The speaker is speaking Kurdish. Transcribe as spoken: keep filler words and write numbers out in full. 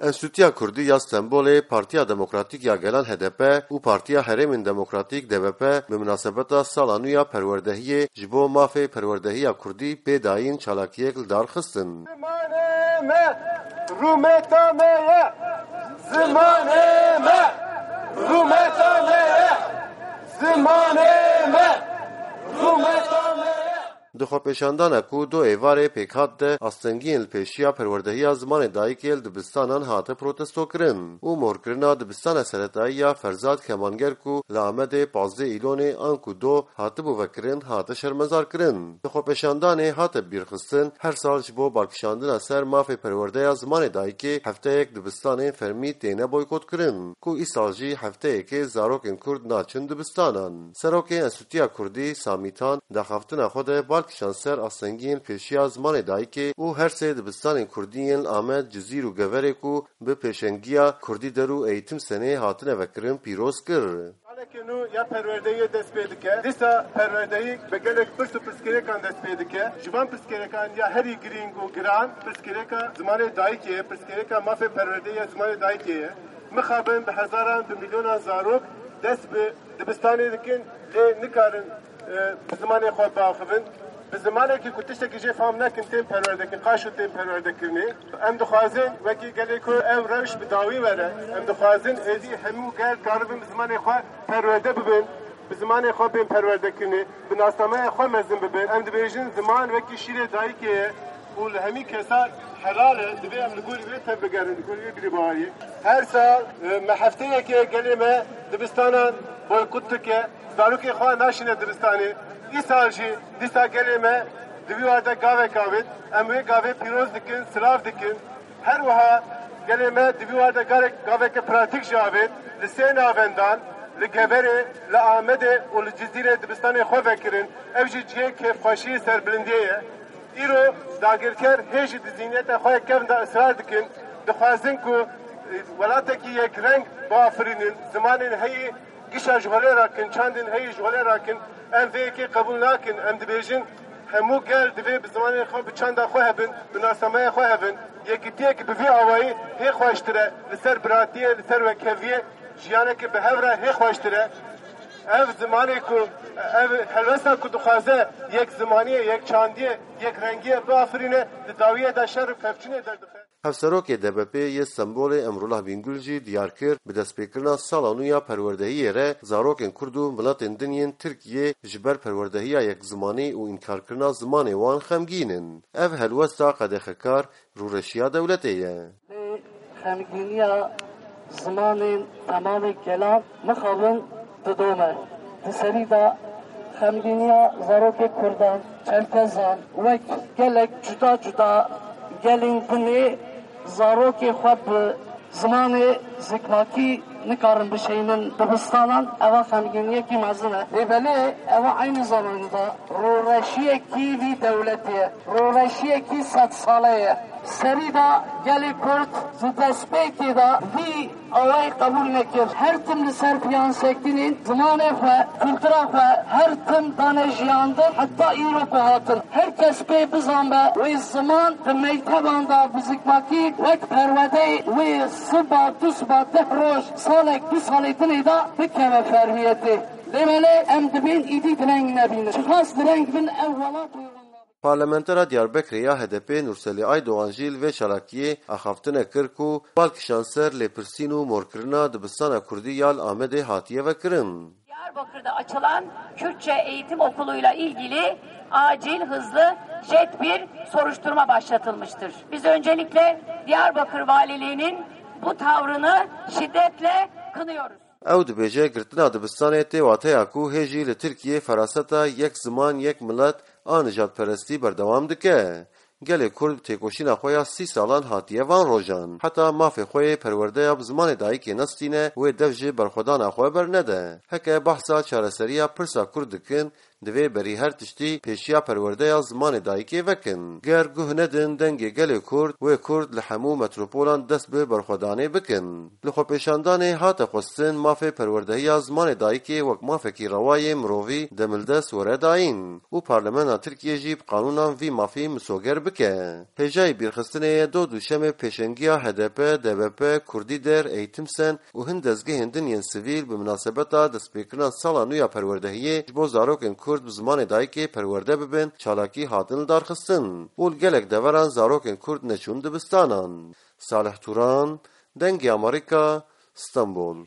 Enstîtuya Kurdî ya Stenbolê, Partiya Demokratîk ya Gelan H D P û Partiya Herêmên Demokratîk D B P bi minasebeta sala nû ya perwerdehiyê ji bo mafê perwerdehiya Kurdî pê dayîn çalakiyek li dar xistin. Zimanê me, rûmeta me ye. Zimanê me, rûmeta me ye. Zimanê me, rûmeta me ye. Di xwepêşandana ku du êvarê pêk hat de, astengiyên li pêşiya perwerdehiya zimanê dayikê li dibistanan hate protestokirin û morkirina dibistana seretayî ya Ferzad Kemanger ku li Amedê pazdeh Îlonê anku do hatibû vekirin, hate şermezarkirin. Di xwepêşandanê hate bîrxistin, her sal ji bo balkişandina ser mafê perwerdeya zimanê dayikê hefteyek dibistanên fermî têne boykotkirin, ku îsal jî hefteyekê zarokên Kurd naçin dibistanan. Serokê Enstîtuya Kurdî, Samî Tan, daxaftina xwe de bal kişand ser astengiyên pêşiya zimanê dayikê û her sê dibistanên Kurdî yên li Amed, Cizîr û Geverê ku bi pêşengiya Kurdî Der û Eğitim Senê hatine vekirin pîroz kir. Saleke nû ya perwerdehiyê dest pê dike. Dîsa perwerdehî bi gelek pirs û pirsgirêkan dest pê dike. Ji van pirsgirêkan ya herî girîng û giran pirsgirêka zimanê dayikê ye, pirsgirêka mafê perwerdehî ya zimanê dayikê ye. Mixabin bi hezaran, bi milyonan zarok dest bi dibistanê dikin, lê nikarin, e, bi zimanê xwe biaxivin. Bi zimanekî ku tiştekî jê fam nekin tên perwerdekirin, qaşo tên perwerdekirinê. Em dixwazin wekî gelê ku ev rewş bi dawî were. Em dixwazin êdî hemû gel karibin bi zimanê xwe perwerde bibin, bi zimanê xwe bên perwerdekirinê, bi nasnameya xwe mezin bibin. Em dibêjin ziman wekî şîrê dayikê ye û li hemî kesa helal e, divê em li gorî wê tevbigerin, li gorî wê bîrî baweriyê. Her sal, e, me hefteyekê gelê me dibistanan boykot dike, zarokê xwe naşîne dibistanê. Îsal jî dîsa gelê me di vî war de gavek avêt, em wê gavê pîroz dikin, silav dikin. Her wiha gelê me di vî war de garek, gaveke pratîk jî avêt, li sê navendan, li Geverê, li Amedê û li Cizîrê dibistanê xwe vekirin. Ev jî cihê kêfxweşî serbilindiyê ye. Îro dagirker hê jî di zîhniyeta xwe yek kevn de israr dikin, dixwazin ku, e, welatekî yekreng biafirînin, zimanên heyî gişa ji holê rakin, çandên heyî ji holê rakin. Em vê yekê qebûl nakin. Em dibêjin, hemû gel divê bi zimanê xwe, bi çanda xwe hebin, bi nasnameya xwe hebin. Yekitiyek bi vî awayî hê xweştir e, li ser biratiyê, li ser wekheviyê, jiyaneke bi hev re hê xweştir e. Ev zimanê ku, ev helwesta ku dixwaze yek zimaniyê, yek çandiyê, yek rengiyê biafirîne, di dawiyê de şer û pevçûnê derdixe. Hevserokê D B P'ê yê Stenbolê Emrullah Bingul jî diyar kir, bi destpêkirina sala nû ya perwerdehiyê re zarokên Kurd û miletên din yên Tirkiyê ji ber perwerdehiya yekzimanî û înkarkirina zimanê wan xemgîn in. Ev helwesta qedexekar rûreşiya dewletê ye. Lê xemgîniya zimanên temamê gelan mixabin didome. Di serî de xemgîniya zarokê kurdan, çerkezan, wek gelek cuda cuda gelên dinê zarokê xwe bi zimanê zikmakî nikarin bişeynin dibistanan, eva xemgîniyekî mezin e. Lê belê eva eynî zamanî de rûreşiyekî vî dewletê ye, rûreşiyekî sedsale ye. Serî de gelê Kurd di destpêkê de vî awayî qebûl nekir. Her tim li ser piyansekinên zimanê xwe, kultura xwe, her tim dane jiyandin, heta îro ku hatin. Her kes pê bizanbe, wê ziman di mekteban de bi zikmakî wek perwedeyê wê siba, du siba, deh roj, salek, du salê dinê de bikeve fermiyetê. Lê belê em dibên îdî direng nebînin. Çiqas direng bin ev welat wê wenda. Parlamentera Diyarbekirê ya H D P Nurselî Aydogan jî li vê çalakiyê axaftine kir ku bal kişand ser lêpirsîn û morkirina dibistana Kurdî ya li Amedê hatiye vekirin. Diyarbakır'da açılan Kürtçe eğitim okuluyla ilgili acil, hızlı, jet bir soruşturma başlatılmıştır. Biz öncelikle Diyarbakır Valiliği'nin bu tavrını şiddetle kınıyoruz. Ew dibêje, girtina dibistanê tê wateya ku hê jî li Tirkiyê feraseta yek ziman, yek milet a nijadperestî berdewam dike. Gelê Kurd bi têkoşîna xwe ya sî salan hatiye van rojan. Heta mafê xwe yê perwerdeya bi zimanê dayikê nestîne, wê dev ji berxwedana xwe bernede. Heke behsa çareseriya pirsa Kurd dikin, Divê berî her tiştî pêşiya perwerdeya zimanê dayikê vekin. Ger guh nedin dengê gelê Kurd, wê Kurd li hemû metropolan dest bi berxwedanê bikin. Li xwepêşandanê hate xwestin mafê perwerdehiya zimanê dayikê wek mafekî rewa yê mirovî demildest were dayîn û Parlamena Tirkiyê jî bi qanûnan vî mafî misoger bike. Hêjayî bîrxistinê ye do duşemê pêşengiya H D P, D B P, Kurdî Der, Eğitim Sen û hin dezgehên din yên sivîl bi minasebeta destpêkirina sala nû ya perwerdehiyê ji bo zarokên Kurd bi zimanê dayikê perwerde bibin, çalakî hatin lidarxistin û li gelek deveran zarokên Kurd neçûn dibistanan. Salih Turan, Dengê Amerîka, Stenbol.